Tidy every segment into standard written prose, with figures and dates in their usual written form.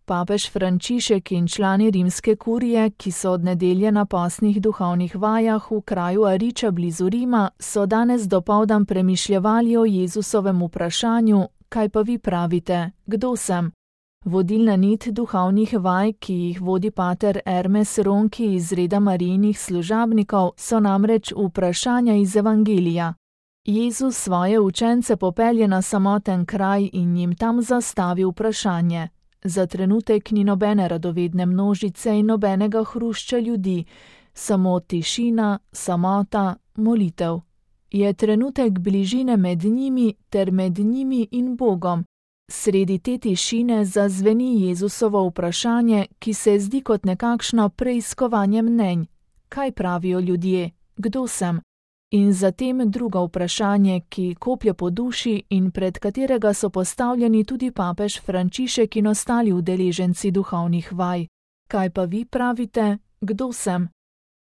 Papež Frančišek in člani rimske kurije, ki so od nedelje na postnih duhovnih vajah v kraju Ariča blizu Rima, so danes dopoldan premišljevali o Jezusovem vprašanju: kaj pa vi pravite, kdo sem? Vodilna nit duhovnih vaj, ki jih vodi pater Hermes Ronchi iz reda Marijinih služabnikov, so namreč vprašanja iz Evangelija. Jezus svoje učence popelje na samoten kraj in jim tam zastavi vprašanje. Za trenutek ni nobene radovedne množice in nobenega hrušča ljudi, samo tišina, samota, molitev. Je trenutek bližine med njimi ter med njimi in Bogom. Sredi te tišine zazveni Jezusovo vprašanje, ki se zdi kot nekakšno preiskovanje mnenj. Kaj pravijo ljudje? Kdo sem? In zatem drugo vprašanje, ki koplje po duši in pred katerega so postavljeni tudi papež Frančišek in ostali udeleženci duhovnih vaj. Kaj pa vi pravite, kdo sem?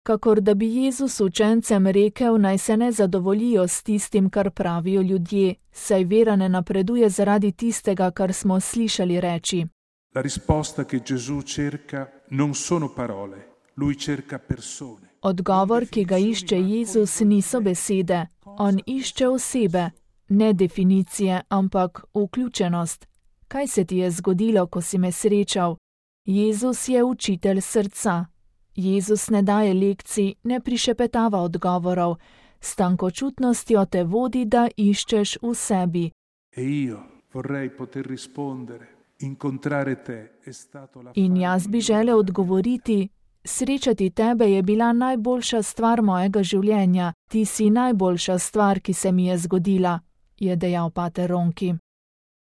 Kakor da bi Jezus učencem rekel, naj se ne zadovoljijo s tistim, kar pravijo ljudje, saj vera ne napreduje zaradi tistega, kar smo slišali reči. La risposta che Gesù cerca non sono parole, lui cerca persone. Odgovor, ki ga išče Jezus, niso besede. On išče osebe, ne definicije, ampak vključenost. Kaj se ti je zgodilo, ko si me srečal? Jezus je učitelj srca. Jezus ne daje lekcij, ne prišepetava odgovorov. S tankočutnostjo te vodi, da iščeš v sebi. In jaz bi želel odgovoriti: srečati tebe je bila najboljša stvar mojega življenja, ti si najboljša stvar, ki se mi je zgodila, je dejal pater Ronchi.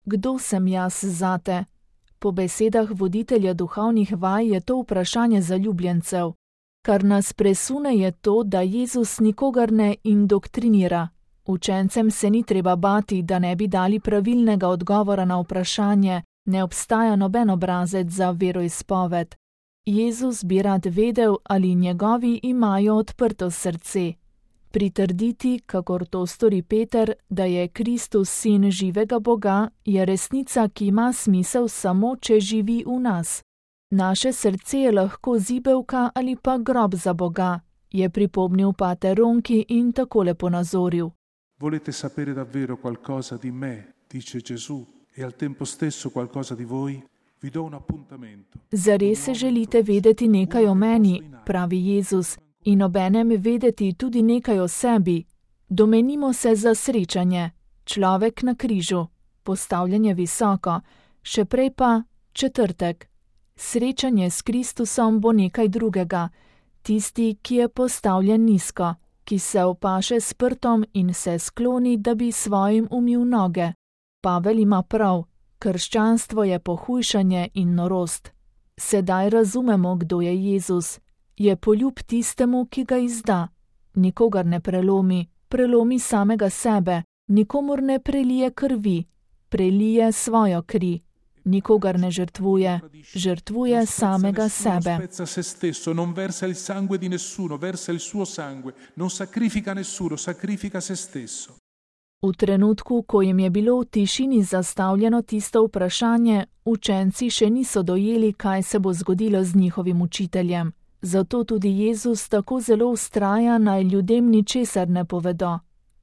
Kdo sem jaz zate? Po besedah voditelja duhovnih vaj je to vprašanje zaljubljencev. Kar nas presune je to, da Jezus nikogar ne indoktrinira. Učencem se ni treba bati, da ne bi dali pravilnega odgovora na vprašanje, ne obstaja noben obrazec za veroizpoved. Jezus bi rad vedel, ali njegovi imajo odprto srce. Pritrditi, kakor to stori Peter, da je Kristus sin živega Boga, je resnica, ki ima smisel samo, če živi v nas. Naše srce je lahko zibelka ali pa grob za Boga, je pripomnil pater Ronchi in takole ponazoril. Volete sapere davvero qualcosa di me, dice Gesù, e al tempo stesso qualcosa di voi? Vi do un appuntamento. Zares se želite vedeti nekaj o meni, pravi Jezus, in obenem vedeti tudi nekaj o sebi. Domenimo se za srečanje. Človek na križu, postavljanje visoko, še prej pa četrtek. Srečanje s Kristusom bo nekaj drugega. Tisti, ki je postavljen nizko, ki se opaše s prtom in se skloni, da bi svojim umil noge. Pavel ima prav. Krščanstvo je pohujšanje in norost. Sedaj razumemo, kdo je Jezus. Je poljub tistemu, ki ga izda. Nikogar ne prelomi, prelomi samega sebe. Nikomur ne prelije krvi, prelije svojo kri. Nikogar ne žrtvuje, žrtvuje samega sebe. Non versa il sangue di nessuno, versa il suo sangue. Non sacrifica nessuno, sacrifica se stesso. V trenutku, ko jim je bilo v tišini zastavljeno tisto vprašanje, učenci še niso dojeli, kaj se bo zgodilo z njihovim učiteljem. Zato tudi Jezus tako zelo vztraja, naj ljudem ničesar ne povedo.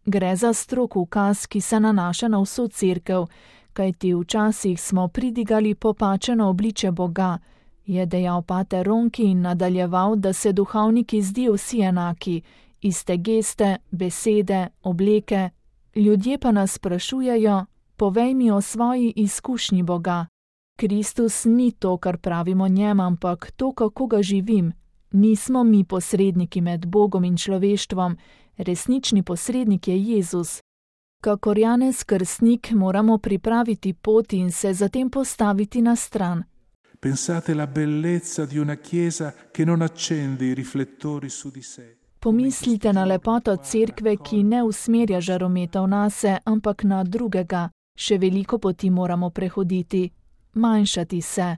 Gre za strog ukaz, ki se nanaša na vso cerkev, kajti včasih smo pridigali popačeno obliče Boga, je dejal pater Ronchi in nadaljeval, da se duhovniki zdijo vsi enaki, iste geste, besede, obleke. Ljudje pa nas sprašujejo: povej mi o svoji izkušnji Boga. Kristus ni to, kar pravimo njem, ampak to, kako ga živim. Nismo mi posredniki med Bogom in človeštvom, resnični posrednik je Jezus. Kakor Janez Krstnik moramo pripraviti pot in se zatem postaviti na stran. Pensate la bellezza di una chiesa che non accende i riflettori su di sé. Pomislite na lepoto cerkve, ki ne usmerja žarometov nase, ampak na drugega. Še veliko poti moramo prehoditi, manjšati se.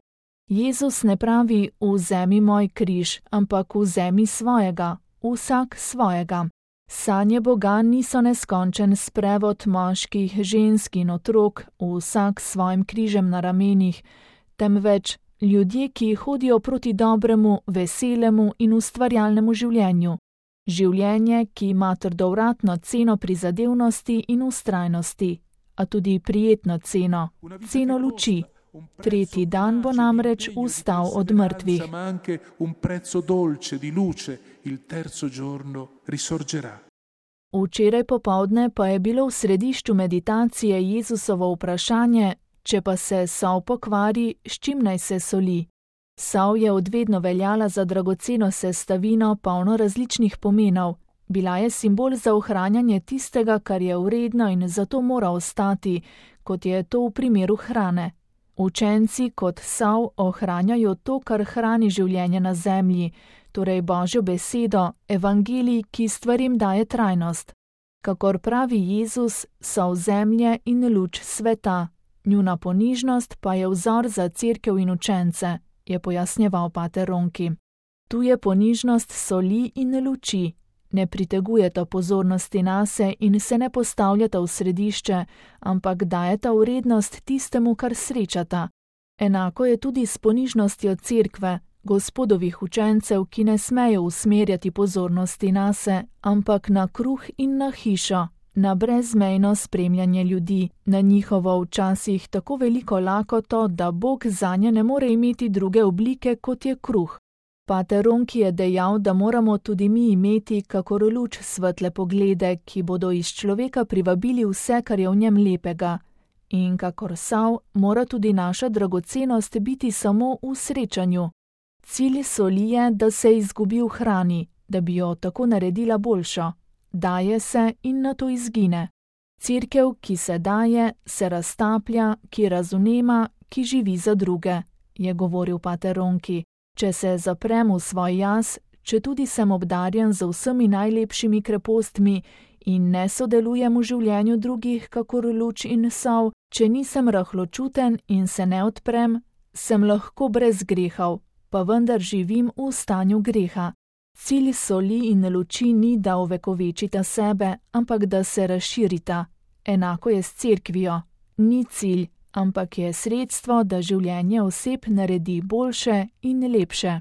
Jezus ne pravi: vzemi moj križ, ampak vzemi svojega, vsak svojega. Sanje Boga niso neskončen sprevod moških, žensk in otrok, vsak s svojim križem na ramenih, temveč Ljudje, ki hodijo proti dobremu, veselemu in ustvarjalnemu življenju. Življenje, ki ima trdovratno ceno prizadevnosti in vztrajnosti, a tudi prijetno ceno, ceno luči. Tretji dan bo namreč vstal od mrtvih. Včeraj popoldne pa je bilo v središču meditacije Jezusovo vprašanje, če pa se sol pokvari, s čim naj se soli. Sol je od vedno veljala za dragoceno sestavino, polno različnih pomenov. Bila je simbol za ohranjanje tistega, kar je vredno in zato mora ostati, kot je to v primeru hrane. Učenci kot sol ohranjajo to, kar hrani življenje na zemlji, torej Božjo besedo, evangelij, ki stvarim daje trajnost. Kakor pravi Jezus, sol zemlje in luč sveta. Njuna ponižnost pa je vzor za cerkev in učence, je pojasnjeval pater Ronki. Tu je ponižnost soli in luči. Ne pritegujeta pozornosti nase in se ne postavljata v središče, ampak dajeta vrednost tistemu, kar srečata. Enako je tudi s ponižnostjo cerkve, Gospodovih učencev, ki ne smejo usmerjati pozornosti nase, ampak na kruh in na hišo, na brezmejno spremljanje ljudi, na njihovo včasih tako veliko lakoto, da Bog zanje ne more imeti druge oblike, kot je kruh. Pater Ronki je dejal, da moramo tudi mi imeti kakor luč svetle poglede, ki bodo iz človeka privabili vse, kar je v njem lepega. In kakor sol, mora tudi naša dragocenost biti samo v srečanju. Cilj soli je, da se izgubi v hrani, da bi jo tako naredila boljšo. Daje se in nato izgine. Cerkev, ki se daje, se raztaplja, ki razumema, ki živi za druge, je govoril pater Ronki. Če se zaprem v svoj jaz, če tudi sem obdarjen z vsemi najlepšimi krepostmi in ne sodelujem v življenju drugih kakor luč in sol, če nisem rahločuten in se ne odprem, sem lahko brez grehov, pa vendar živim v stanju greha. Cilj soli in luči ni, da ovekovečita sebe, ampak da se razširita. Enako je s cerkvijo. Ni cilj, ampak je sredstvo, da življenje oseb naredi boljše in lepše.